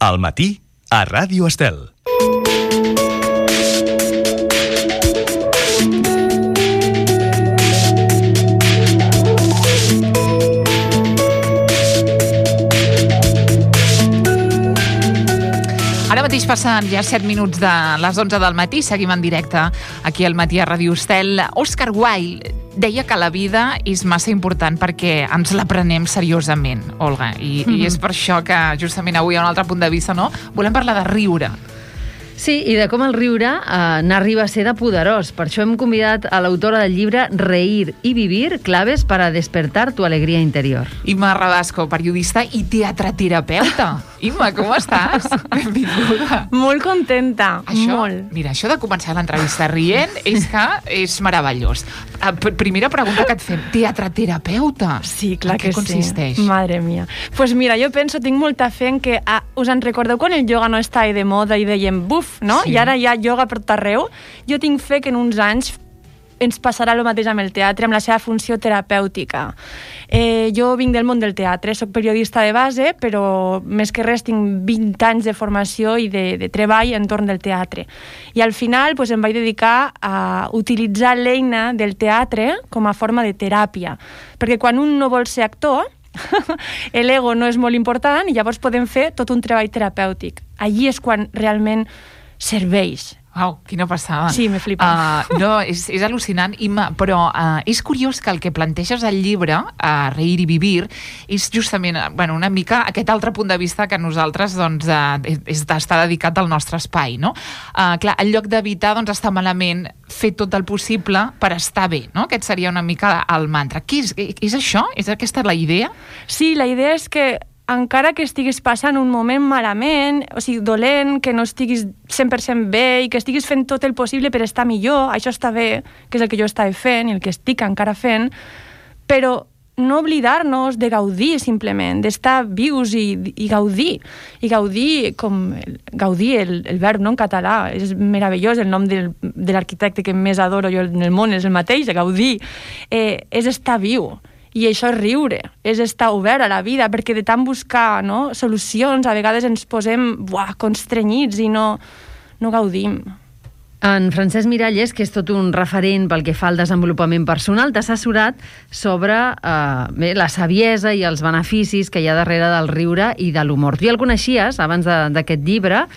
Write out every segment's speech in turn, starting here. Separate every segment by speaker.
Speaker 1: Al matí, a Ràdio Estel.
Speaker 2: Ara mateix passen ja 7 minuts de les 11 del matí, seguim en directe aquí al matí a Ràdio Estel. Oscar Wilde deia que la vida és massa important perquè ens la prenem seriosament, Olga, i és per això que justament avui, a un altre punt de vista, no, volem parlar de riure.
Speaker 3: Sí, i de com el riure n'arriba a ser de poderós. Per això hem convidat a l'autora del llibre Reír y vivir, claves para despertar tu alegría interior.
Speaker 2: Imma Rabasco, periodista i teatraterapeuta. Imma, com estàs? Benvinguda.
Speaker 4: Molt contenta,
Speaker 2: molt. Mira, això de començar l'entrevista rient és que és meravellós. Primera pregunta que et fem, teatraterapeuta?
Speaker 4: Sí, clar que sí.
Speaker 2: En què consisteix?
Speaker 4: Madre mia. Pues mira, jo penso, tinc molta fe en que... us en recordeu quan el ioga no estava de moda i dèiem buf, no?
Speaker 2: Sí.
Speaker 4: I ara hi ha ioga per tot arreu? Jo tinc fe que en uns anys ens passarà el mateix amb el teatre, amb la seva funció terapèutica. Jo vinc del món del teatre, soc periodista de base, però més que res tinc 20 anys de formació i de treball entorn del teatre. I al final pues, em vaig dedicar a utilitzar l'eina del teatre com a forma de teràpia. Perquè quan un no vol ser actor, l'ego no és molt important i llavors podem fer tot un treball terapèutic. Allí és quan realment serveix.
Speaker 2: Uau, quina passada.
Speaker 4: Sí, me flipa.
Speaker 2: No, és al·lucinant, Imma, però és curiós que el que planteges al llibre, Reír y vivir, és justament una mica aquest altre punt de vista que nosaltres doncs, està dedicat al nostre espai, no? Clar, en lloc d'evitar estar malament, fer tot el possible per estar bé, no? Aquest seria una mica el mantra. Què és això? És aquesta la idea?
Speaker 4: Sí, la idea és que encara que estiguis passant un moment malament, o sigui, dolent, que no estiguis 100% bé i que estiguis fent tot el possible per estar millor, això està bé, que és el que jo estava fent i el que estic encara fent, però no oblidar-nos de gaudir simplement, d'estar vius i gaudir. I gaudir, gaudir, el verb no, en català, és meravellós, el nom de l'arquitecte que més adoro jo en el món és el mateix, gaudir, és estar viu. I això és riure, és estar obert a la vida, perquè de tant buscar solucions, a vegades ens posem constrenyits i no gaudim.
Speaker 3: En Francesc Miralles, que és tot un referent pel que fa al desenvolupament personal, t'ha assessorat sobre la saviesa i els beneficis que hi ha darrere del riure i de l'humor. Tu ja el coneixies abans d'aquest llibre.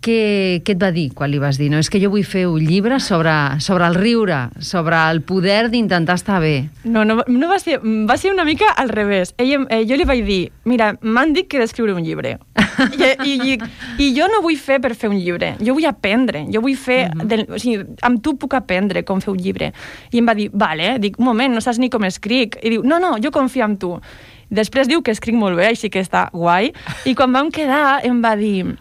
Speaker 3: Què et va dir quan li vas dir? No, és que jo vull fer un llibre sobre el riure, sobre el poder d'intentar estar bé.
Speaker 4: No va ser una mica al revés. Jo li vaig dir, mira, m'han dit que he d'escriure un llibre. I jo no vull fer per fer un llibre. Jo vull aprendre. Jo vull fer... o sigui, amb tu puc aprendre com fer un llibre. I em va dir, vale, dic, un moment, no saps ni com escric. I diu, no, jo confio en tu. Després diu que escric molt bé, així que està guai. I quan vam quedar em va dir...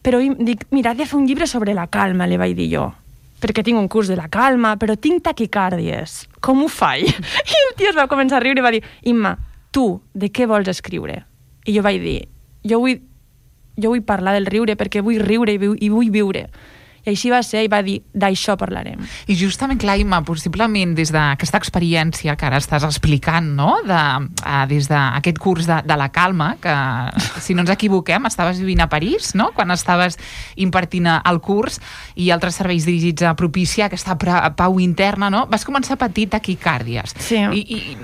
Speaker 4: Però dic, mira, he de fer un llibre sobre la calma, li vaig dir jo. Perquè tinc un curs de la calma, però tinc taquicàrdies. Com ho faig? I el tio es va començar a riure i va dir, Imma, tu, de què vols escriure? I jo vaig dir, jo vull parlar del riure perquè vull riure i vull viure. I així va ser, i va dir, d'això parlarem.
Speaker 2: I justament, clar, Imma, possiblement des d'aquesta experiència que ara estàs explicant, no?, des d'aquest curs de la calma, que, si no ens equivoquem, estaves vivint a París, no?, quan estaves impartint el curs i altres serveis dirigits a propiciar aquesta pau interna, no?, vas començar a patir taquicàrdies.
Speaker 4: Sí.
Speaker 2: I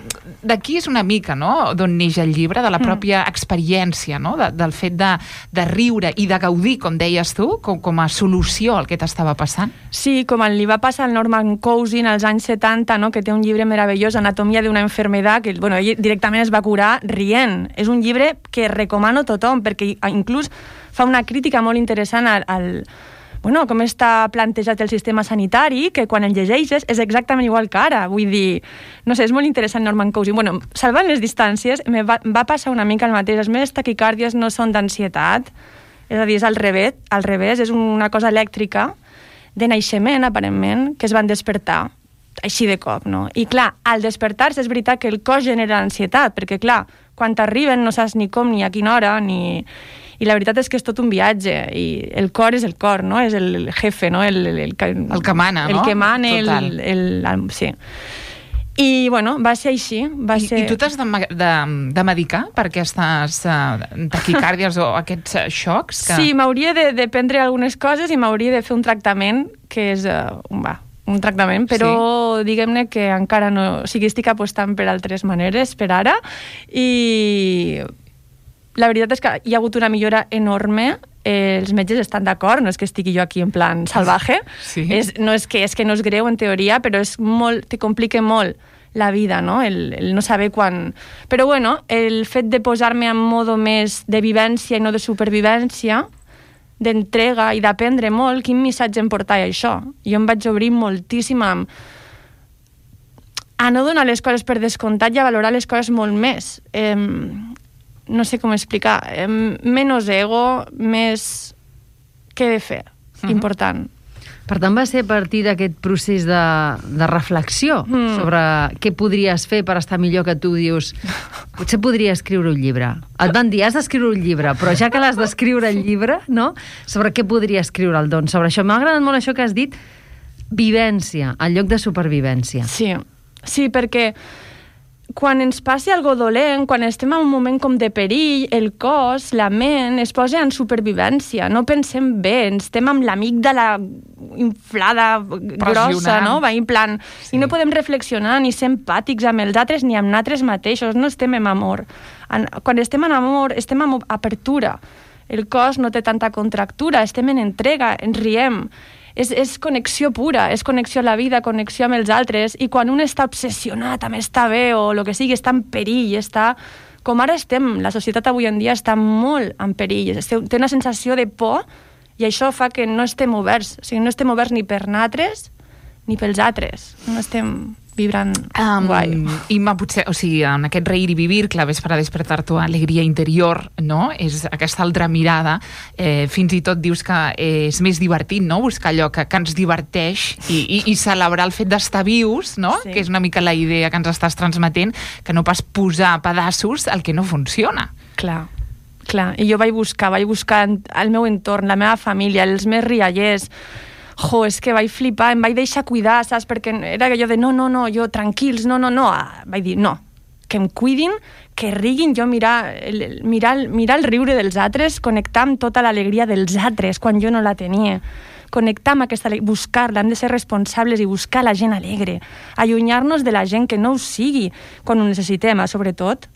Speaker 2: d'aquí és una mica, no?, d'on neix el llibre, de la pròpia experiència, no?, del fet de riure i de gaudir, com deies tu, com a solució al que t'estava passant?
Speaker 4: Sí, com li va passar al Norman Cousins als anys 70, no? Que té un llibre meravellós, Anatomia d'una enfermedad, que ell directament es va curar rient. És un llibre que recomano a tothom, perquè inclús fa una crítica molt interessant com està plantejat el sistema sanitari, que quan el llegeixes és exactament igual que ara. Vull dir, no sé, és molt interessant Norman Cousins. Salvant les distàncies, va passar una mica el mateix. Les meves taquicàrdies no són d'ansietat, és a dir, és al revés, és una cosa elèctrica de naixement, aparentment, que es van despertar així de cop, no? I clar, al despertar-se és veritat que el cos genera ansietat, perquè clar, quan t'arriben no saps ni com, ni a quina hora, I la veritat és que és tot un viatge, i el cor és el cor, no? És el jefe, no? El que mana, no? El que mana, sí. I, bueno, va ser així.
Speaker 2: I tu t'has de medicar per aquestes taquicàrdies o aquests xocs?
Speaker 4: Sí, m'hauria de prendre algunes coses i m'hauria de fer un tractament que és un tractament, però diguem-ne que encara no... O sigui, estic apostant per altres maneres per ara i la veritat és que hi ha hagut una millora enorme. Els metges estan d'acord, no és que estigui jo aquí en plan salvaje, no és que no és greu en teoria, però és molt, te complica molt la vida, no? El no saber quan... Però bueno, el fet de posar-me en modo més de vivència i no de supervivència, d'entrega i d'aprendre molt, quin missatge em portava això? Jo em vaig obrir moltíssim a no donar les coses per descomptat i a valorar les coses molt més. No sé com explicar. Menys ego, més què he de fer. Important.
Speaker 3: Per tant, va ser a partir d'aquest procés de reflexió sobre què podries fer per estar millor, que tu dius, potser podria escriure un llibre. Et van dir, has d'escriure un llibre, però ja que l'has d'escriure el llibre, no? Sobre què podria escriure'l, doncs? Sobre això. M'ha agradat molt això que has dit, vivència, en lloc de supervivència.
Speaker 4: Sí, perquè quan ens passi algo dolent, quan estem en un moment com de perill, el cos, la ment, es posa en supervivència. No pensem bé, estem amb l'amígdala inflada, grossa, no? Va, en plan, i no podem reflexionar ni ser empàtics amb els altres ni amb nosaltres mateixos, no estem en amor. Quan estem en amor, estem en apertura. El cos no té tanta contractura, estem en entrega, ens riem. És connexió pura, és connexió a la vida, connexió amb els altres, i quan un està obsessionat amb estar bé o el que sigui, està en perill, està... Com ara estem, la societat avui en dia està molt en perill, té una sensació de por i això fa que no estem oberts, o sigui, no estem oberts ni per nosaltres ni pels altres, no estem vibrant guai.
Speaker 2: I potser, o sigui, en aquest reír i vivir, claves para despertar tu alegria interior, no? És aquesta altra mirada. Fins i tot dius que és més divertit, no? Buscar allò que ens diverteix i celebrar el fet d'estar vius, no? Sí. Que és una mica la idea que ens estàs transmetent, que no pas posar a pedaços el que no funciona.
Speaker 4: Clar. I jo vaig buscar el meu entorn, la meva família, els més riallers. És que vaig flipar, em vaig deixar cuidar, saps? Perquè era allò de no, jo tranquils, no. Vaig dir, no, que em cuidin, que riguin, jo mirar el riure dels altres, connectar amb tota l'alegria dels altres quan jo no la tenia. Connectar amb aquesta alegria, buscar-la, hem de ser responsables i buscar la gent alegre, allunyar-nos de la gent que no ho sigui quan ho necessitem, sobretot.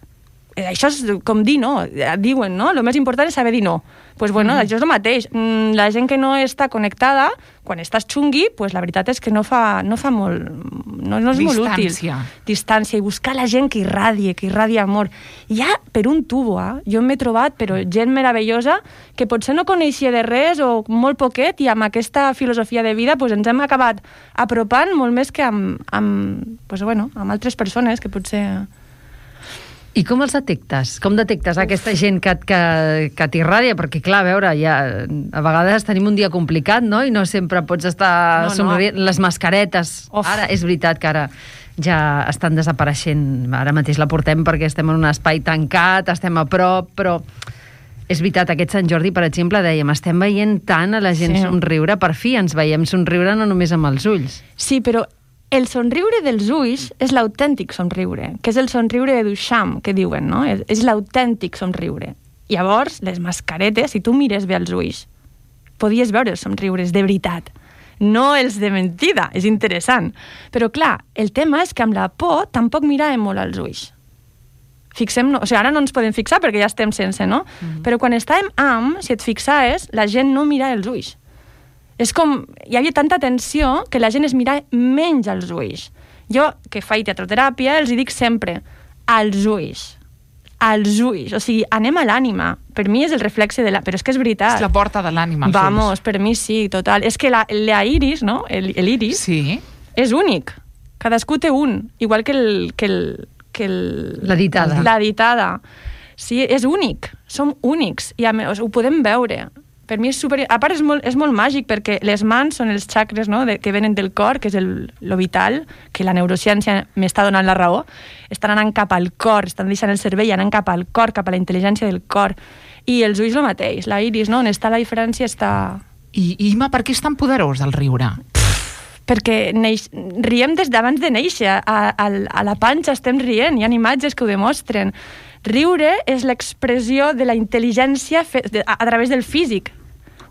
Speaker 4: Això és com dir no, diuen, no? El més important és saber dir no. Doncs bueno, això és el mateix. La gent que no està connectada, quan estàs xungui, pues la veritat és que no és molt útil. Distància. I buscar la gent que irradie amor. Ja per un tubo, jo m'he trobat però gent meravellosa que potser no coneixia de res o molt poquet, i amb aquesta filosofia de vida pues ens hem acabat apropant molt més que amb altres persones que potser...
Speaker 3: I com els detectes? Com detectes aquesta gent que t'irradia? Perquè, clar, a veure, ja, a vegades tenim un dia complicat, no? I no sempre pots estar somrient. Les mascaretes. Ara, és veritat que ara ja estan desapareixent. Ara mateix la portem perquè estem en un espai tancat, estem a prop, però és veritat, aquest Sant Jordi, per exemple, dèiem, estem veient tant a la gent somriure, per fi ens veiem somriure no només amb els ulls.
Speaker 4: Sí, però el somriure dels ulls és l'autèntic somriure, que és el somriure de Duchamp, que diuen, no? És l'autèntic somriure. Llavors, les mascaretes, si tu mires bé els ulls, podies veure els somriures de veritat, no els de mentida, és interessant. Però clar, el tema és que amb la por tampoc miràvem molt als ulls. Fixem-nos, o sigui, ara no ens podem fixar perquè ja estem sense, no? Però quan estàvem si et fixaves, la gent no mirava els ulls. És com, hi havia tanta tensió que la gent es mira menys als ulls. Jo, que faig teatroteràpia, els dic sempre, als ulls. O sigui, anem a l'ànima. Per mi és el reflexe de la... Però és que és veritat.
Speaker 2: És la porta de l'ànima, els ulls.
Speaker 4: Vamos, per mi sí, total. És que la iris, no? L'iris, és únic. Cadascú té un. Igual que
Speaker 3: la ditada.
Speaker 4: La ditada. Sí, és únic. Som únics. I ho podem veure. Per mi és super... A part, és molt màgic, perquè les mans són els xacres, no? Que venen del cor, que és lo vital, que la neurociència m'està donant la raó. Estan anant cap al cor, estan deixant el cervell anant cap al cor, cap a la intel·ligència del cor. I els ulls el mateix, la iris, no? On està la diferència està...
Speaker 2: I Ima, per què és tan poderós el riure?
Speaker 4: perquè riem des d'abans de néixer, a la panxa estem rient, hi ha imatges que ho demostren. Riure és l'expressió de la intel·ligència a través del físic,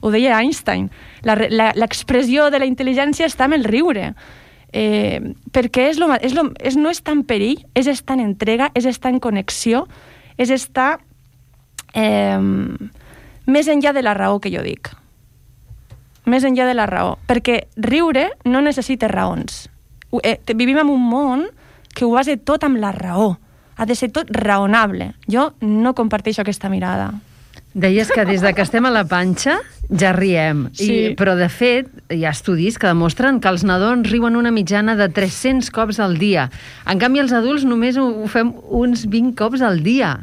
Speaker 4: ho deia Einstein. L'expressió de la intel·ligència està en el riure, perquè no estar en perill, és estar en entrega, és estar en connexió, és estar més enllà de la raó, que jo dic. Més enllà de la raó, perquè riure no necessita raons. Vivim en un món que ho basa tot amb la raó. Ha de ser tot raonable. Jo no comparteixo aquesta mirada.
Speaker 3: Deies que des que estem a la panxa ja riem,
Speaker 4: sí.
Speaker 3: Però de fet hi ha estudis que demostren que els nadons riuen una mitjana de 300 cops al dia. En canvi, els adults només ho fem uns 20 cops al dia.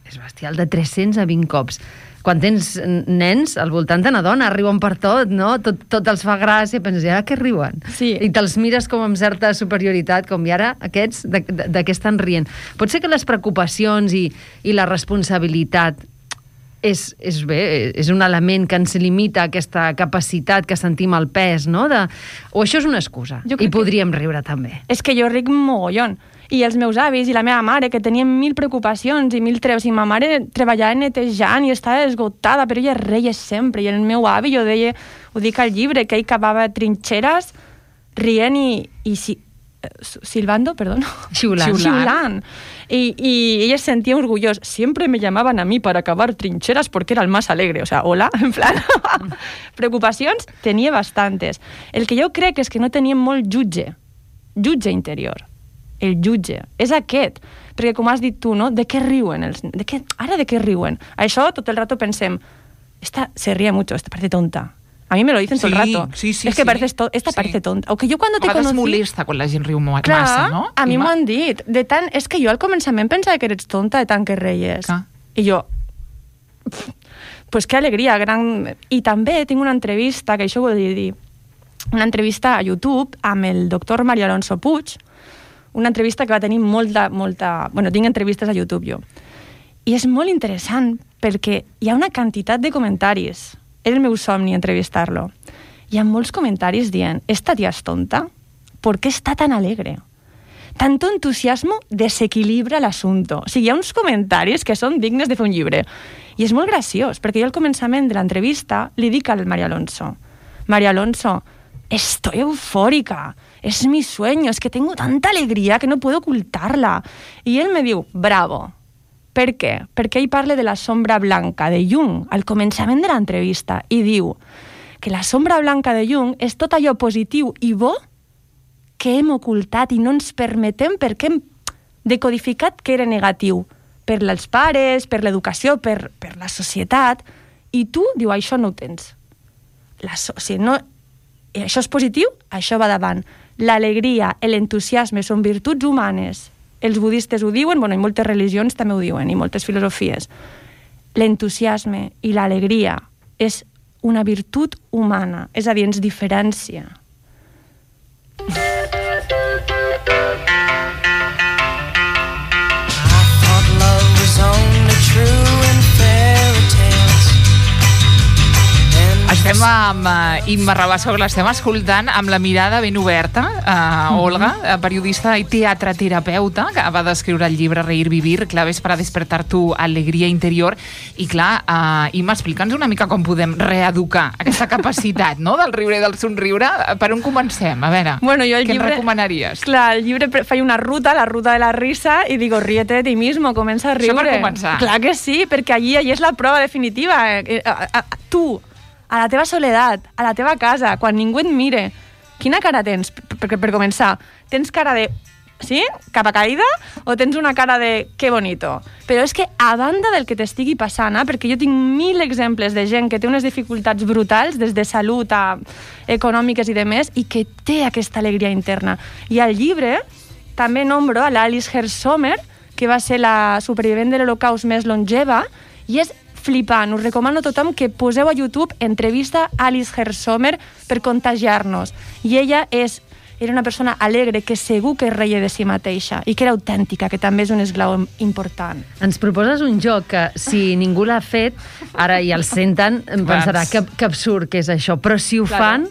Speaker 3: És bestial, de 300 a 20 cops. Quan tens nens, al voltant te n'adones, riuen per tot, no? Tot els fa gràcia, penses, i ara què riuen?
Speaker 4: Sí.
Speaker 3: I te'ls mires com amb certa superioritat, com i ara aquests, de què estan rient? Pot ser que les preocupacions i la responsabilitat és un element que ens limita aquesta capacitat que sentim el pes, no? O això és una excusa, i podríem riure també.
Speaker 4: És que jo ric mogollon. I els meus avis i la meva mare, que tenien 1000 preocupacions i 1000 treus, i ma mare treballava netejant i estava esgotada, però ella reia sempre. I el meu avi, jo deia, ho dic al llibre, que ell cavava trinxeres rient silbando, perdón. Xiulant. Y ella se sentía orgullosa. Siempre me llamaban a mí para cavar trincheras porque era el más alegre. O sea, hola, en plan... Preocupacions tenia bastantes. El que jo crec és que no teníem molt jutge interior. El jutge. És aquest. Perquè, com has dit tu, no? De què riuen? Ara de què riuen? Això tot el rato pensem, esta se ríe mucho, esta parece tonta. A mí me lo dicen todo el rato.
Speaker 2: Sí,
Speaker 4: es que parece tonta. O que jo cuando te conocí...
Speaker 2: A vegades molesta quan la gent riu massa, no?
Speaker 4: A mi m'ho han dit. És que jo al començament pensava que eres tonta de tant que reies. I jo... Pues qué alegria, gran... I també tinc una entrevista, que això ho vull dir, una entrevista a YouTube amb el doctor Mario Alonso Puig, una entrevista que va tenir molta... Bueno, tinc entrevistes a YouTube jo. I és molt interessant perquè hi ha una quantitat de comentaris. Era el meu somni entrevistar-lo. Hi ha molts comentaris dient, esta tía es tonta, ¿por qué está tan alegre? Tanto entusiasmo desequilibra l'asunto. O sigui, hi ha uns comentaris que són dignes de fer un llibre. I és molt graciós, perquè jo al començament de l'entrevista li dic al Mario Alonso, estoy eufórica, es mi sueño, es que tengo tanta alegría que no puedo ocultarla. I ell me diu, bravo. Per què? Perquè ell parla de la sombra blanca de Jung al començament de l'entrevista i diu que la sombra blanca de Jung és tot allò positiu i bo que hem ocultat i no ens permetem perquè hem decodificat que era negatiu per als pares, per l'educació, per la societat. I tu, diu, això no ho tens. Això és positiu, això va davant. L'alegria, l'entusiasme són virtuts humanes. Els budistes ho diuen, bueno, i moltes religions també ho diuen, i moltes filosofies. L'entusiasme i l'alegria és una virtut humana, és a dir, ens diferencia.
Speaker 2: Estem amb Imma Rabassa, que l'estem escoltant amb la mirada ben oberta. Olga, periodista i teatroterapeuta, que va descriure el llibre Reír, Vivir, claves para despertar tu alegria interior. I clar, Imma, explica'ns una mica com podem reeducar aquesta capacitat, no?, del riure i del somriure. Per on comencem? A veure,
Speaker 4: bueno, jo
Speaker 2: què ens recomanaries?
Speaker 4: Clar, el llibre feia una ruta, la ruta de la risa, i digo, ríete de ti mismo, comença a riure.
Speaker 2: Això per començar.
Speaker 4: Clar que sí, perquè allí és la prova definitiva. Tu, a la teva soledat, a la teva casa, quan ningú et mire, quina cara tens? Per començar, tens cara de... Sí? Capa caïda? O tens una cara de que bonito? Però és que, a banda del que t'estigui passant, perquè jo tinc 1000 exemples de gent que té unes dificultats brutals, des de salut a econòmiques i demés, i que té aquesta alegria interna. I al llibre també nombro a l'Alice Herzomer, que va ser la supervivent de l'Holocaust més longeva, i és flipant. Us recomano a tothom que poseu a YouTube entrevista a Alice Herzomer per contagiar-nos. I ella era una persona alegre que segur que reia de si mateixa i que era autèntica, que també és un esglau important.
Speaker 3: Ens proposes un joc que, si ningú l'ha fet, ara ja el senten, em pensarà que absurd que és això, però si ho fan,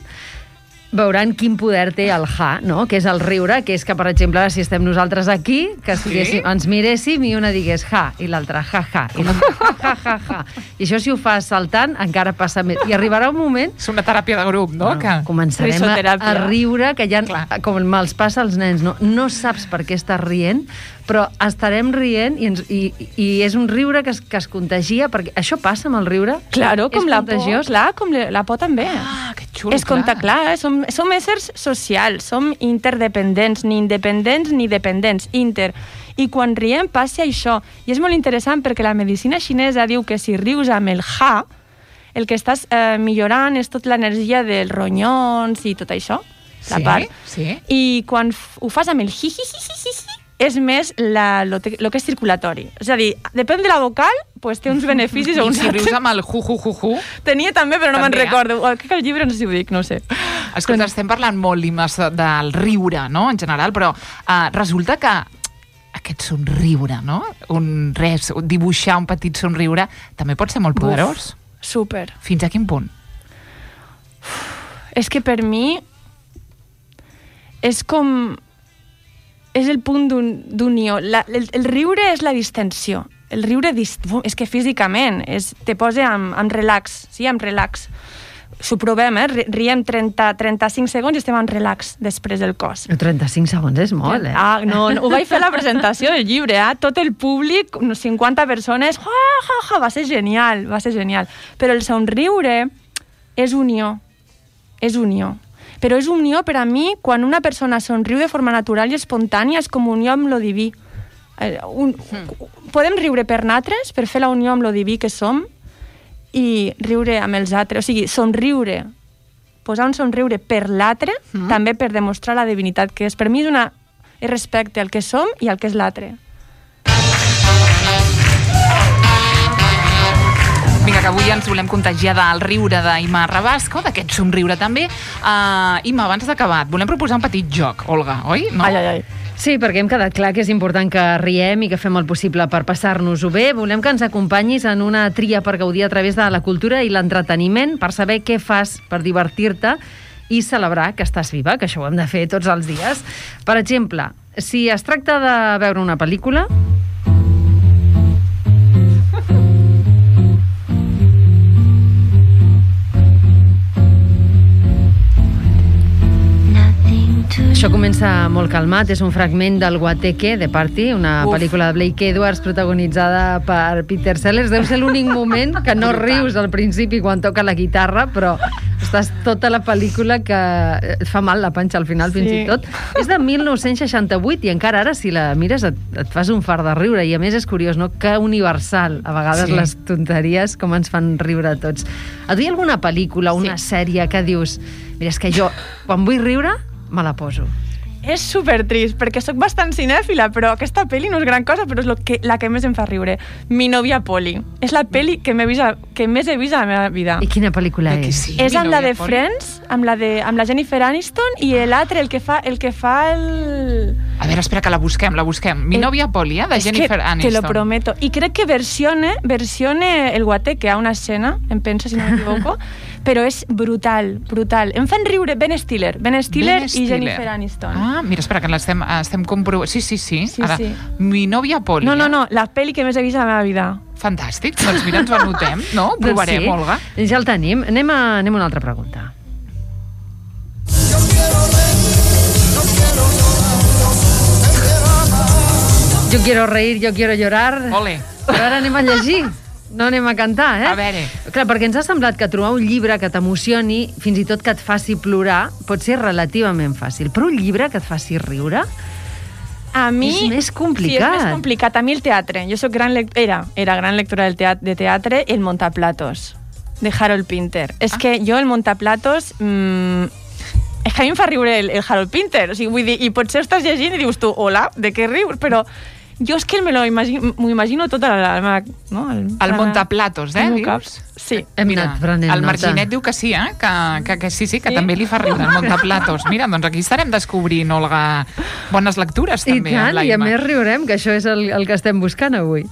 Speaker 3: veuran quin poder té el ja, no? Que és el riure, que és que, per exemple, si estem nosaltres aquí, que ens miréssim i una digués ja, i l'altra ja, i l'altra ja. I això, si ho fas saltant, encara passa més. I arribarà un moment...
Speaker 2: És una teràpia de grup, no?
Speaker 3: Que començarem a riure, que ja, com els passa als nens, no saps per què estàs rient, però estarem rient i és un riure que es contagia, perquè això passa amb el riure?
Speaker 4: Claro, com la por, clar, com la por també.
Speaker 2: Ah, que xulo,
Speaker 4: clar. Som éssers socials, som interdependents, ni independents ni dependents, I quan riem passa això. I és molt interessant perquè la medicina xinesa diu que si rius amb el ja, el que estàs millorant és tota l'energia dels ronyons i tot això, la part.
Speaker 2: Sí.
Speaker 4: I quan ho fas amb el hi, és més el que és circulatori. És a dir, depèn de la vocal, pues té uns beneficis o uns
Speaker 2: altres. I si rius amb el ju.
Speaker 4: Tenia també, però no me'n recordo. Crec que el llibre no sé si ho dic, no sé.
Speaker 2: Escolta, estem parlant molt, Imma, del riure, no?, en general, però resulta que aquest somriure, no?, dibuixar un petit somriure, també pot ser molt poderós.
Speaker 4: Super.
Speaker 2: Fins a quin punt?
Speaker 4: És que per mi és com... és el punt d'unió. El riure és la distensió. El riure és que físicament te posa en relax, sí, en relax. S'ho provem, riem 35 segons i estem en relax després del cos.
Speaker 3: 35 segons és molt,
Speaker 4: No, ho vaig fer a la presentació del llibre, tot el públic, 50 persones, va ser genial. Però el somriure és unió. Però és unió per a mi quan una persona somriu de forma natural i espontània, és com unió amb lo diví. Podem riure per nosaltres, per fer la unió amb lo diví que som, i riure amb els altres. O sigui, somriure, posar un somriure per l'altre, també per demostrar la divinitat que és. Per mi és respecte al que som i al que és l'altre.
Speaker 2: Vinga, que avui ens volem contagiar del riure d'Imma Rabasco, d'aquest somriure també. Imma, abans d'acabar, volem proposar un petit joc, Olga, oi? No?
Speaker 4: Ai.
Speaker 3: Sí, perquè hem quedat clar que és important que riem i que fem el possible per passar-nos-ho bé. Volem que ens acompanyis en una tria per gaudir a través de la cultura i l'entreteniment, per saber què fas per divertir-te i celebrar que estàs viva, que això ho hem de fer tots els dies. Per exemple, si es tracta de veure una pel·lícula... Això comença molt calmat, és un fragment del Guateque de Party, una pel·lícula de Blake Edwards protagonitzada per Peter Sellers. Deu ser l'únic moment que no rius al principi quan toca la guitarra, però estàs tota la pel·lícula que et fa mal la panxa al final, fins i tot. És de 1968 i encara ara, si la mires, et fas un fart de riure. I a més és curiós, no?, que universal, a vegades les tonteries com ens fan riure a tots. A tu hi ha alguna pel·lícula, una sèrie que dius, mira, és que jo, quan vull riure, me la poso?
Speaker 4: És supertrist, perquè sóc bastant cinèfila, però aquesta pel·li no és gran cosa, però és la que més em fa riure. Mi novia Polly. És la pel·li que més he vist a la meva vida.
Speaker 3: I quina pel·lícula és?
Speaker 2: Sí,
Speaker 4: és amb la de Friends, amb la Jennifer Aniston, i l'altre, el que fa el...
Speaker 2: A veure, espera, que la busquem. Mi novia Polly, de Jennifer Aniston.
Speaker 4: Te lo prometo. I crec que versione el Guateque a una escena, em penso, si no m'equivoco, però és brutal. Em fan riure Ben Stiller i Jennifer Aniston.
Speaker 2: Ah, mira, espera, que l'estem comprovant. Sí. Ara, Mi novia Polly.
Speaker 4: No, la pel·li que més he vist a la meva vida.
Speaker 2: Fantàstic, doncs mira, ens ho anotem, no? Ho provarem, Olga.
Speaker 3: Ja el tenim. Anem a una altra pregunta. Yo quiero reír, yo quiero llorar.
Speaker 2: Ole.
Speaker 3: Però ara anem a llegir. No anem a cantar,
Speaker 2: A veure.
Speaker 3: Clar, perquè ens ha semblat que trobar un llibre que t'emocioni, fins i tot que et faci plorar, pot ser relativament fàcil. Però un llibre que et faci riure...
Speaker 4: A mi...
Speaker 3: És més complicat.
Speaker 4: Sí, és més complicat. A mi el teatre. Jo soc era gran lectora de teatre, El Montaplatos, de Harold Pinter. És que jo el Montaplatos... és que a mi em fa riure el Harold Pinter. O sigui, vull dir, i potser estàs llegint i dius tu, hola, de què rius? Però... jo és que m'ho imagino tota la... No?
Speaker 2: El Montaplatos, dius?
Speaker 4: Sí.
Speaker 3: Hem anat prenent
Speaker 2: el Marginet diu que sí, que sí, que també li fa riure el Montaplatos. Mira, doncs aquí estarem descobrint, Olga, bones lectures també.
Speaker 3: I tant, i a més riurem, que això és el que estem buscant avui.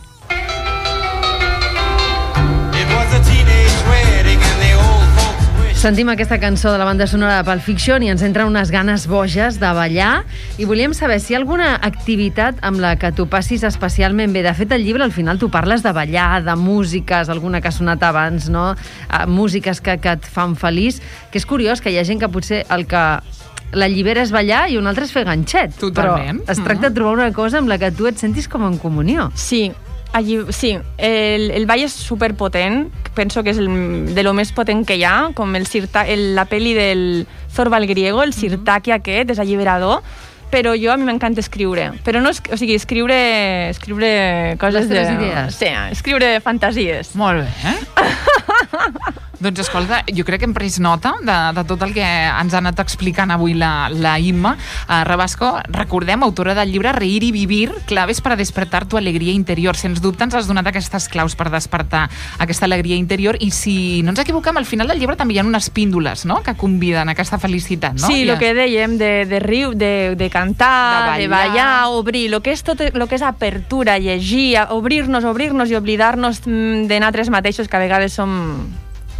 Speaker 3: Sentim aquesta cançó de la banda sonora de Pulp Fiction i ens entren unes ganes boges de ballar i volíem saber si hi ha alguna activitat amb la que tu passis especialment bé. De fet, al llibre al final tu parles de ballar, de músiques, alguna que ha sonat abans, no? Músiques que et fan feliç, que és curiós que hi ha gent que potser el que l'allibera és ballar i un altre és fer ganxet.
Speaker 2: Totalment.
Speaker 3: Però es tracta de trobar una cosa amb la que tu et sentis com en comunió.
Speaker 4: Sí, el ball és superpotent, penso que és de lo més potent que hi ha, com la pel·li del Zorba el griego, el sirtaki aquest, és alliberador, però a mi m'encanta escriure. Però no, o sigui, escriure coses
Speaker 3: les teves idees.
Speaker 4: Sí, escriure fantasies.
Speaker 2: Molt bé, Doncs escolta, jo crec que hem pres nota de tot el que ens ha anat explicant avui la Imma Rabasco. Recordem, autora del llibre Reír y vivir, claves para despertar tu alegria interior. Sens dubte ens has donat aquestes claus per despertar aquesta alegria interior i si no ens equivoquem, al final del llibre també hi ha unes píndoles, no?, que conviden a aquesta felicitat, no?
Speaker 4: Sí, el que dèiem de riure, de cantar, de ballar, obrir, el que és apertura, llegir, obrir-nos i oblidar-nos de nosaltres mateixos, que a vegades som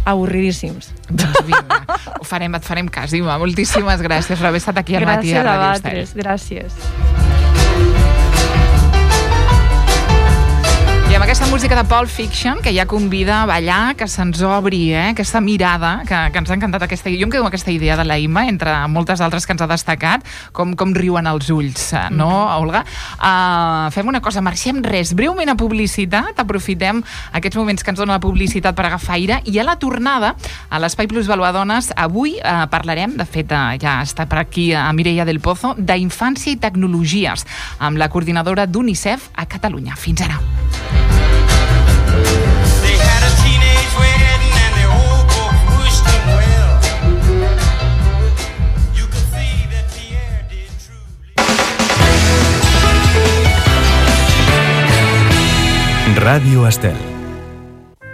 Speaker 4: avorridíssims.
Speaker 2: Doncs vinga, et farem cas, Imma. Moltíssimes gràcies per haver estat aquí al matí a Radio Estel.
Speaker 4: Gràcies.
Speaker 2: I amb aquesta música de Pulp Fiction, que ja convida a ballar, que se'ns obri, aquesta mirada, que ens ha encantat aquesta idea. Jo em quedo amb aquesta idea de la Imma, entre moltes altres que ens ha destacat, com riuen els ulls, no, Olga? Fem una cosa, marxem breument a publicitat, aprofitem aquests moments que ens dona la publicitat per agafar aire, i a la tornada, a l'Espai Plusvaluadones, avui parlarem, de fet ja està per aquí a Mireia del Pozo, d'infància i tecnologies, amb la coordinadora d'UNICEF a Catalunya. Fins ara.
Speaker 1: Radio Estel.